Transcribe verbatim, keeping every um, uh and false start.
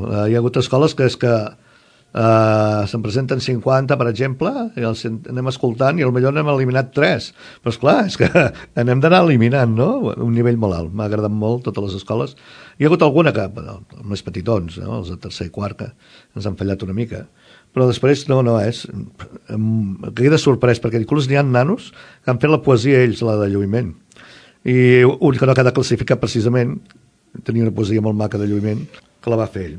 Hi ha hagut escoles que és que uh, se'n presenten cinquanta, per exemple, i els anem escoltant i potser n'hem eliminat tres. Però esclar, és que anem d'anar eliminant, no? Un nivell molt alt. M'ha agradat molt totes les escoles. Hi ha hagut alguna que, bueno, més petitons, no? Els de tercer i quart, que ens han fallat una mica. Però després, no, no, és... Em queda sorprès, perquè inclús n'hi ha nanos que han fet la poesia ells, la de lluïment. I un que no ha quedat classificat precisament, tenia una poesia molt maca de lluïment, que la va fer ell.